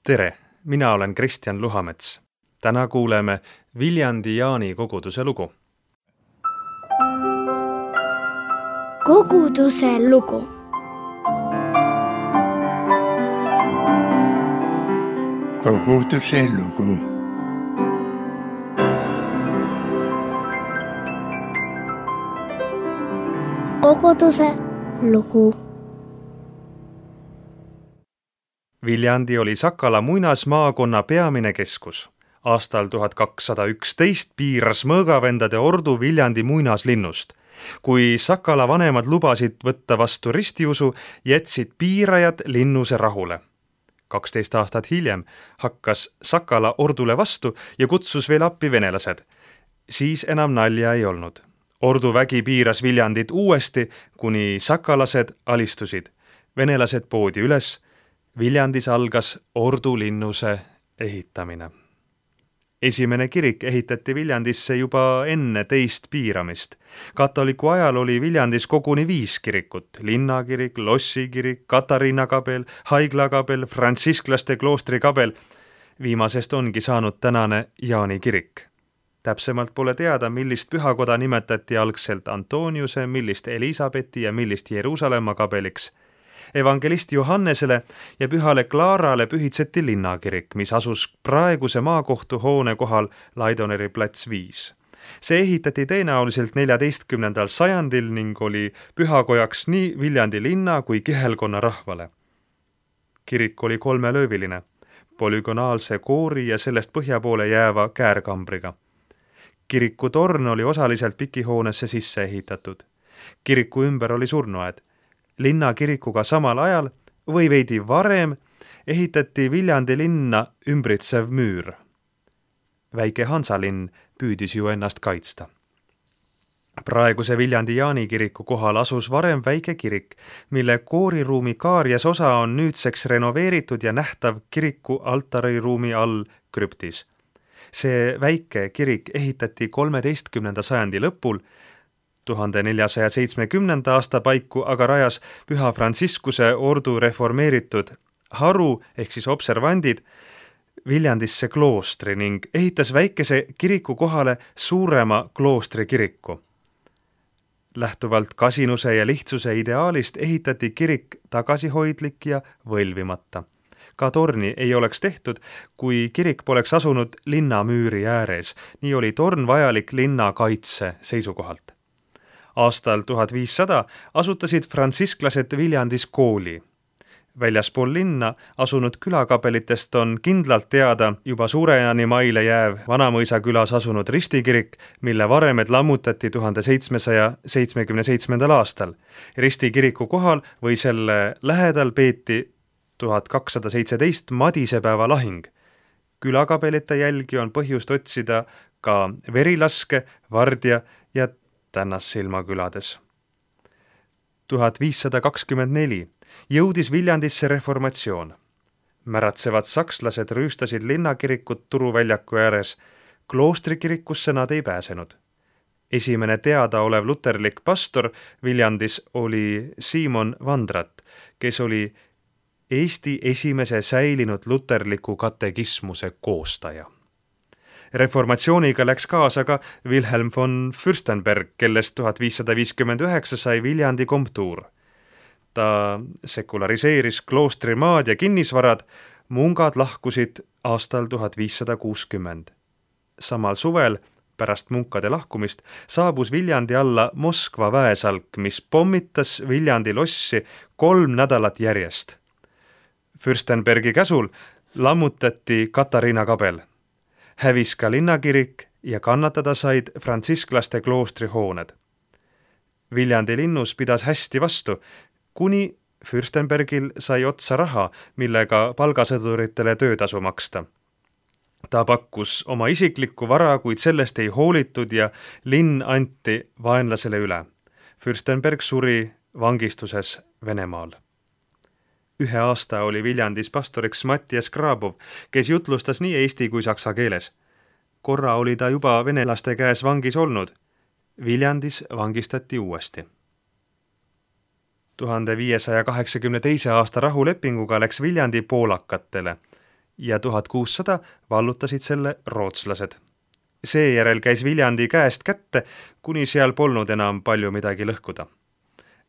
Tere, mina olen Kristjan Luhamets. Täna kuuleme Viljandi Jaani koguduse lugu. Koguduse lugu. Koguduse lugu. Koguduse lugu. Viljandi oli Sakala muinasmaakonna peamine keskus. Aastal 1211 piiras mõõgavendade ordu Viljandi muinaslinnust. Kui Sakala vanemad lubasid võtta vastu ristiusu, jätsid piirajad linnuse rahule. 12 aastat hiljem hakkas Sakala ordule vastu ja kutsus veel appi venelased. Siis enam nalja ei olnud. Ordu vägi piiras Viljandit uuesti, kuni sakalased alistusid. Venelased poodi üles. Viljandis algas ordu linnuse ehitamine. Esimene kirik ehitati Viljandisse juba enne teist piiramist. Katoliku ajal oli Viljandis koguni 5 kirikut: linnakirik, lossikirik, Katariina kabel, haiglakabel, frantsisklaste kloostri kabel. Viimasest ongi saanud tänane Jaani kirik. Täpsemalt pole teada, millist pühakoda nimetati algselt Antoniuse, millist Elisabethi ja millist Jeruusalemma kabeliks. Evangelist Johannesele ja pühale Klaarale pühitseti linnakirik, mis asus praeguse maakohtu hoone kohal Laidoneri plats 5. See ehitati tõenäoliselt 14. sajandil ning oli pühakojaks nii Viljandi linna kui kihelkonna rahvale. Kirik oli 3-lööviline, polügonaalse koori ja sellest põhja poole jääva käärkambriga. Kiriku torn oli osaliselt pikihoonesse sisse ehitatud. Kiriku ümber oli surnuaed. Linnakirikuga samal ajal või veidi varem ehitati Viljandi linna ümbritsev müür. Väike Hansalinn püüdis ju ennast kaitsta. Praeguse Viljandi Jaani kiriku kohal asus varem väike kirik, mille kooriruumi kaarjas osa on nüüdseks renoveeritud ja nähtav kiriku altariruumi all krüptis. See väike kirik ehitati 13. sajandi lõpul, 1470. aasta paiku aga rajas Püha Frantsiskuse ordu reformeeritud haru ehk siis observandid Viljandisse kloostri ning ehitas väikese kiriku kohale suurema kloostri kiriku. Lähtuvalt kasinuse ja lihtsuse ideaalist ehitati kirik tagasihoidlik ja võlvimata. Ka torni ei oleks tehtud, kui kirik poleks asunud linnamüüri ääres. Nii oli torn vajalik linna kaitse seisukohalt. Aastal 1500 asutasid frantsisklased Viljandis kooli. Väljaspool linna asunud külakapelitest on kindlalt teada juba Suurejani maile jääv Vanamõisa külas asunud ristikirik, mille varemed lammutati 1777. aastal. Ristikiriku kohal või selle lähedal peeti 1217 Madisepäeva lahing. Külakapelite jälgi on põhjust otsida ka Verilaske, Vardja ja Tännassilma külades. 1524 jõudis Viljandisse reformatsioon. Märatsevad sakslased rüüstasid linnakirikut Turuväljaku ääres. Kloostrikirikusse nad ei pääsenud. Esimene teadaolev luterlik pastor Viljandis oli Simon Vandrat, kes oli Eesti esimese säilinud luterliku katekismuse koostaja. Reformatsiooniga läks kaasa ka Wilhelm von Fürstenberg, kellest 1559 sai Viljandi komtuur. Ta sekulariseeris kloostrimaad ja kinnisvarad, mungad lahkusid aastal 1560. Samal suvel, pärast munkade lahkumist, saabus Viljandi alla Moskva väesalk, mis pommitas Viljandi lossi 3 nädalat järjest. Fürstenbergi käsul lammutati Katariina kabel. Hävis ka linnakirik ja kannatada said frantsisklaste kloostri hooned. Viljandi linnus pidas hästi vastu, kuni Fürstenbergil sai otsa raha, millega palgasõduritele töötasu maksta. Ta pakkus oma isiklikku vara, kuid sellest ei hoolitud ja linn anti vaenlasele üle. Fürstenberg suri vangistuses Venemaal. 1 aasta oli Viljandis pastoriks Mattias Grabov, kes jutlustas nii eesti kui saksa keeles. Korra oli ta juba venelaste käes vangis olnud. Viljandis vangistati uuesti. 1582. aasta rahulepinguga läks Viljandi poolakatele. ja 1600 vallutasid selle rootslased. Seejärel käis Viljandi käest kätte, kuni seal polnud enam palju midagi lõhkuda.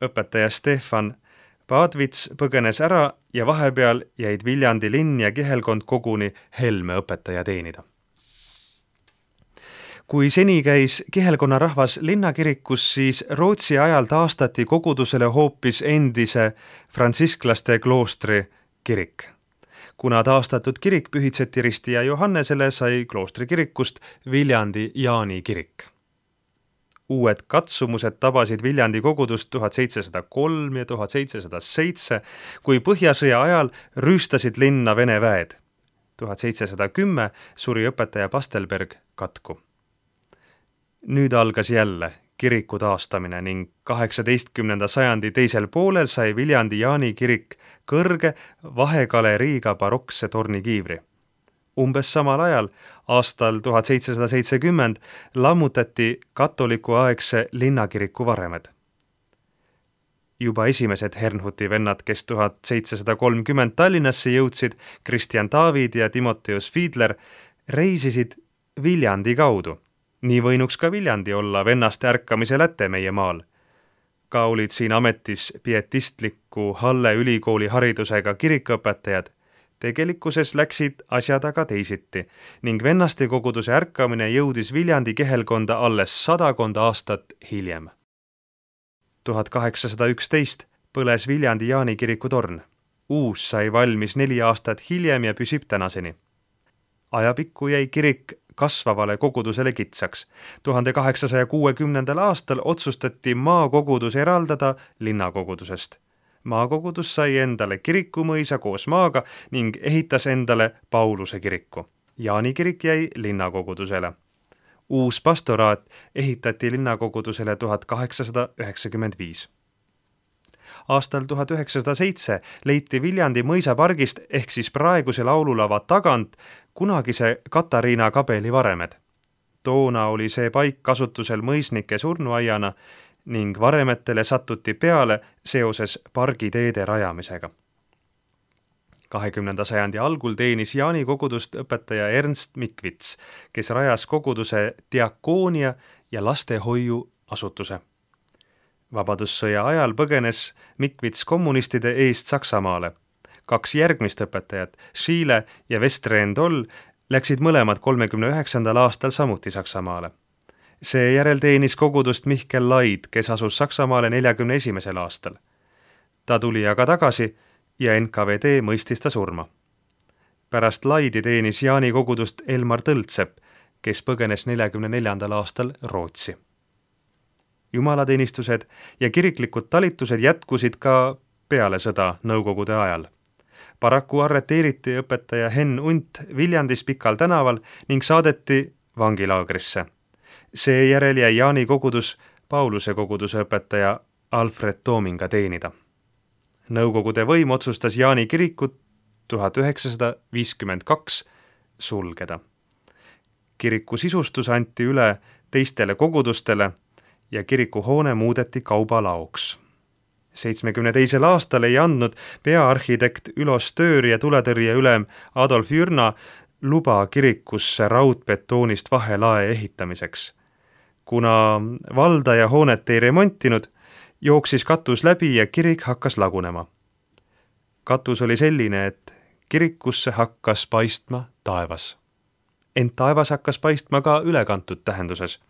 Õpetaja Stefan Paadvits põgenes ära ja vahepeal jäid Viljandi linn ja kihelkond koguni Helme õpetaja teenida. Kui seni käis kihelkonna rahvas linnakirikus, siis Rootsi ajal taastati kogudusele hoopis endise frantsisklaste kloostri kirik. Kuna taastatud kirik pühitseti Risti ja Johannesele, sai kloostri kirikust Viljandi Jaani kirik. Uued katsumused tabasid Viljandi kogudust 1703 ja 1707, kui Põhjasõja ajal rüüstasid linna Vene väed. 1710 suri õpetaja Pastelberg katku. Nüüd algas jälle kiriku taastamine ning 18. sajandi teisel poolel sai Viljandi Jaani kirik kõrge vahegaleriiga barokse tornikiivri. Umbes samal ajal, aastal 1770, lammutati katolikuaegse linnakiriku varemed. Juba esimesed Hernhuti vennad, kes 1730 Tallinnasse jõudsid, Kristjan David ja Timoteus Fiedler, reisisid Viljandi kaudu. Nii võinuks ka Viljandi olla vennaste ärkamise läte meie maal. Ka olid siin ametis pietistliku Halle ülikooli haridusega kirikuõpetajad. Tegelikkuses läksid asjad aga teisiti ning vennaste koguduse ärkamine jõudis Viljandi kihelkonda alles 100 aastat hiljem. 1811 põles Viljandi Jaani kiriku torn. Uus sai valmis 4 aastat hiljem ja püsib tänaseni. Ajapikku jäi kirik kasvavale kogudusele kitsaks. 1860. aastal otsustati maakogudus eraldada linnakogudusest. Maakogudus sai endale kirikumõisa koos maaga ning ehitas endale Pauluse kiriku. Jaani kirik jäi linnakogudusele. Uus pastoraat ehitati linnakogudusele 1895. Aastal 1907 leiti Viljandi mõisapargist ehk siis praeguse laululava tagant kunagise Katariina kabeli varemed. Toona oli see paik kasutusel mõisnike surnuaiana ning varemetele sattuti peale seoses pargiteede rajamisega. 20. sajandi algul teenis Jaani kogudust õpetaja Ernst Mikvits, kes rajas koguduse diakoonia ja lastehoiu asutuse. Vabadussõja ajal põgenes Mikvits kommunistide eest Saksamaale. 2 järgmist õpetajat, Schiele ja Vestre Ndoll, läksid mõlemad 39. aastal samuti Saksamaale. Seejärel teenis kogudust Mihkel Laid, kes asus Saksamaale 41. aastal. Ta tuli aga tagasi ja NKVD mõistis ta surma. Pärast Laidi teenis Jaani kogudust Elmar Tõltsepp, kes põgenes 44. aastal Rootsi. Jumalateenistused ja kiriklikud talitused jätkusid ka peale sõda Nõukogude ajal. Paraku arreteeriti õpetaja Henn Unt Viljandis Pikal tänaval ning saadeti vangilaagrisse. Seejärel jäi Jaani kogudus Pauluse koguduse õpetaja Alfred Toominga teenida. Nõukogude võim otsustas Jaani kirikut 1952 sulgeda. Kiriku sisustus anti üle teistele kogudustele ja kirikuhoone muudeti kaubalaoks. 72. aastal ei andnud peaarhitekt Ülo Stöör ja tuletõrjeülem Adolf Jürna luba kirikusse raudbetoonist vahelae ehitamiseks. Kuna valdaja hoonet ei remontinud, jooksis katus läbi ja kirik hakkas lagunema. Katus oli selline, et kirikusse hakkas paistma taevas. Ent taevas hakkas paistma ka ülekantud tähenduses.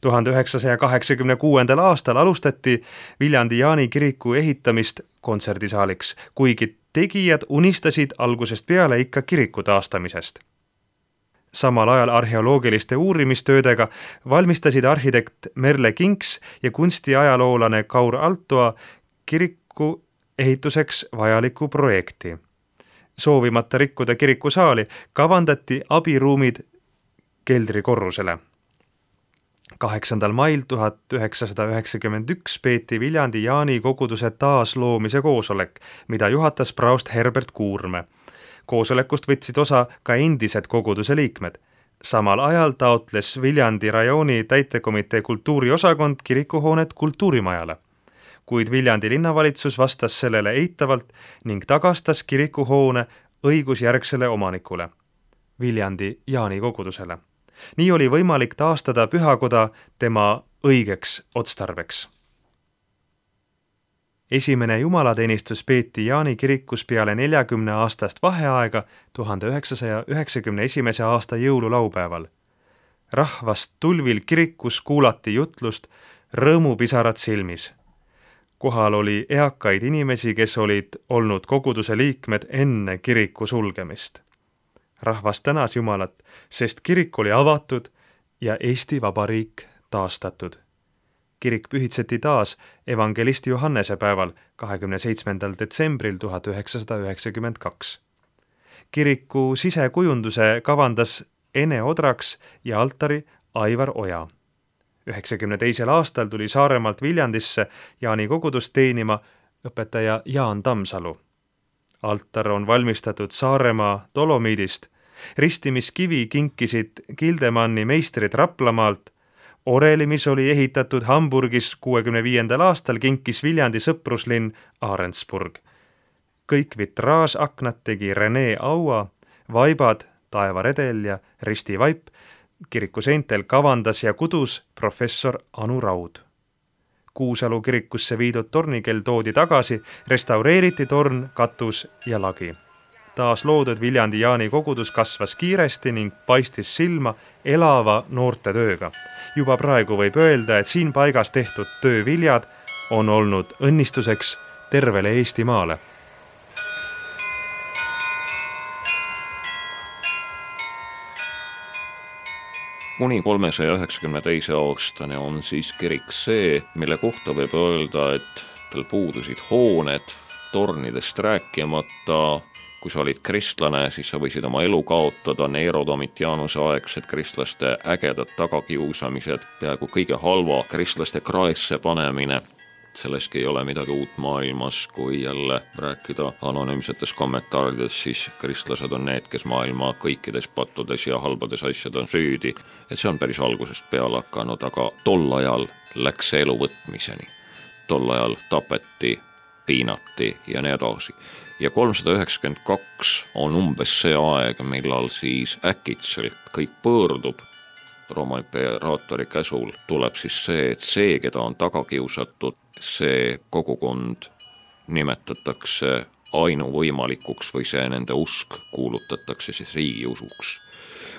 1986. aastal alustati Viljandi Jaani kiriku ehitamist kontserdisaaliks, kuigi tegijad unistasid algusest peale ikka kiriku taastamisest. Samal ajal arheoloogiliste uurimistöödega valmistasid arhitekt Merle Kinks ja kunstiajaloolane Kaur Altoa kiriku ehituseks vajaliku projekti. Soovimata rikkuda kirikusaali kavandati abiruumid keldrikorrusele. 8. mail 1991 peeti Viljandi Jaani koguduse taasloomise koosolek, mida juhatas praost Herbert Kuurme. Koosolekust võtsid osa ka endised koguduse liikmed. Samal ajal taotles Viljandi rajooni täitekomitee kultuuriosakond kirikuhoonet kultuurimajale. Kuid Viljandi linnavalitsus vastas sellele eitavalt ning tagastas kirikuhoone õigusjärgsele omanikule, Viljandi Jaani kogudusele. Nii oli võimalik taastada pühakoda tema õigeks otstarbeks. Esimene jumalateenistus peeti Jaani kirikus peale 40 aastast vaheaega 1991. aasta jõululaupäeval. Rahvast tulvil kirikus kuulati jutlust rõõmupisarad silmis. Kohal oli eakaid inimesi, kes olid olnud koguduse liikmed enne kiriku sulgemist. Rahvas tänas Jumalat, sest kirik oli avatud ja Eesti Vabariik taastatud. Kirik pühitseti taas evangelist Johannese päeval 27. detsembril 1992. Kiriku sisekujunduse kavandas Ene Odraks ja altari Aivar Oja. 92. aastal tuli Saaremaalt Viljandisse Jaani kogudust teenima õpetaja Jaan Tammsalu. Altar on valmistatud Saaremaa dolomiidist, ristimiskivi kinkisid Gildemanni meistrid Raplamaalt, oreli, mis oli ehitatud Hamburgis 65. aastal, kinkis Viljandi sõpruslinn Arendsburg. Kõik vitraasaknad tegi Rene Aua, vaibad Taeva Redel ja Risti Vaip, kiriku seintel kavandas ja kudus professor Anu Raud. Kuusalu kirikusse viidud tornikell toodi tagasi, restaureeriti torn, katus ja lagi. Taas loodud Viljandi Jaani kogudus kasvas kiiresti ning paistis silma elava noorte tööga. Juba praegu võib öelda, et siin paigas tehtud tööviljad on olnud õnnistuseks tervele Eestimaale. Kuni 392. aastane on siis kirik see, mille kohta võib öelda, et tal puudusid hooned, tornidest rääkimata. Kui sa olid kristlane, siis sa võisid oma elu kaotada, Nero Domitianuse aegsed kristlaste ägedad tagakiusamised, peaaegu kõige halva kristlaste kraesse panemine. Selleski ei ole midagi uut maailmas, kui jälle rääkida anonüümsetes kommentaarides, siis kristlased on need, kes maailma kõikides pattudes ja halbades asjad on süüdi. Et see on päris algusest peale hakanud, aga tol ajal läks see elu võtmiseni. Tol ajal tapeti, piinati ja nii edasi. Ja 392 on umbes see aeg, millal siis äkitselt kõik pöördub. Rooma imperaatori käsul tuleb siis see, et see, keda on taga kiusatud, see kogukond nimetatakse ainuvõimalikuks või see nende usk kuulutatakse siis riigiusuks.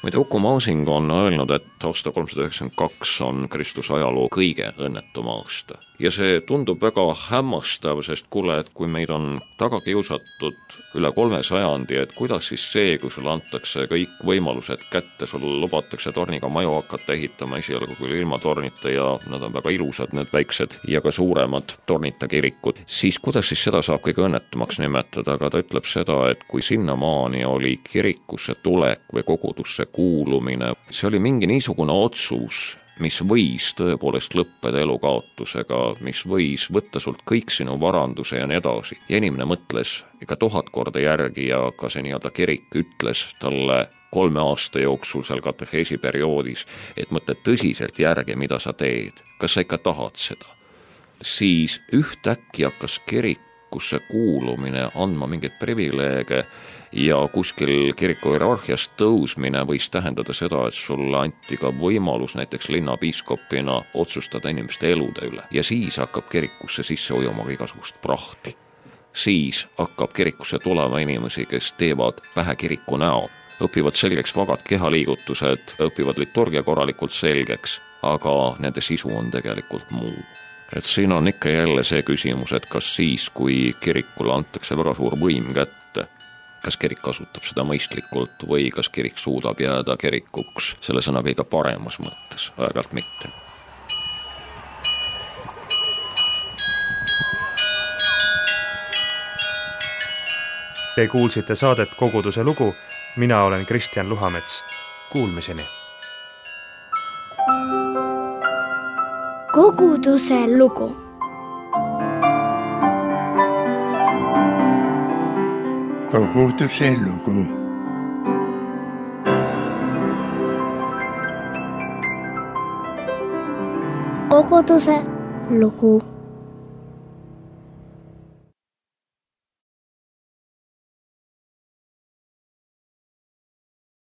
Muide, Uku Masing on öelnud, et aasta 392 on Kristuse ajaloo kõige õnnetum aasta. Ja see tundub väga hämmastav, sest kuule, et kui meid on taga kiusatud üle 3 sajandi, et kuidas siis see, kui sulle antakse kõik võimalused kätte, sulle lubatakse torniga maju hakata ehitama esialgu küll ilma tornita ja nad on väga ilusad, need väiksed ja ka suuremad tornita kirikud, siis kuidas siis seda saab kõige õnnetumaks nimetada, aga ta ütleb seda, et kui sinnamaani oli kirikusse tulek või kogudusse kuulumine, see oli mingi niisugune otsus, mis võis tõepoolest lõppeda elukaotusega, mis võis võtta sult kõik sinu varanduse ja nii edasi. Ja inimene mõtles ikka 1000 korda järgi ja ka see nii-öelda kirik ütles talle 3 aasta jooksul seal kateheesi perioodis, et mõtle tõsiselt järgi, mida sa teed. Kas sa ikka tahad seda? Siis ühtäkki hakkas kirikusse kuulumine andma mingeid privileege ja kuskil kiriku hierarhiast tõusmine võis tähendada seda, et sulle anti ka võimalus näiteks linnapiiskopina otsustada inimeste elude üle. Ja siis hakkab kirikusse sisse ujuma igasugust prahti. Siis hakkab kirikusse tulema inimesi, kes teevad pähe kiriku näo. Õpivad selgeks vagad kehaliigutused, õpivad liturgia korralikult selgeks, aga nende sisu on tegelikult muu. Et siin on ikka jälle see küsimus, et kas siis, kui kirikule antakse väga suur võim kätte, kas kirik kasutab seda mõistlikult või kas kirik suudab jääda kirikuks selle sõna kõige paremas mõttes, aeg-ajalt mitte. Te kuulsite saadet Koguduse lugu, mina olen Kristjan Luhamets. Kuulmiseni! Koguduse lugu. Koguduse lugu. Koguduse lugu.